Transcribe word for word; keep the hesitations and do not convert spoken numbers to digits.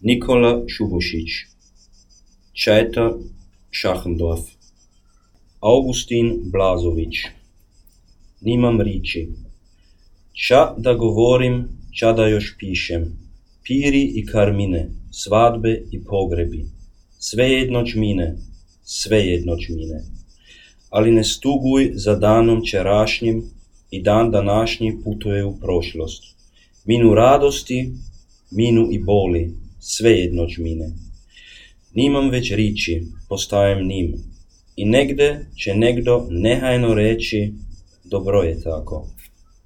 Nikola Šubošić, Čaeta Šachendorf, Augustin Blazović. Nimam riči. Ča da govorim, ča da još pišem. Piri i karmine, svadbe i pogrebi. Svejedno čmine, svejedno čmine. Ali ne stuguj za danom čerašnjim i dan današnji putuje u prošlost. Minu radosti, minu i boli, svejedno čmine. Nimam već riči, postajem nim. I negde će negdo nehajno reći, dobro je tako.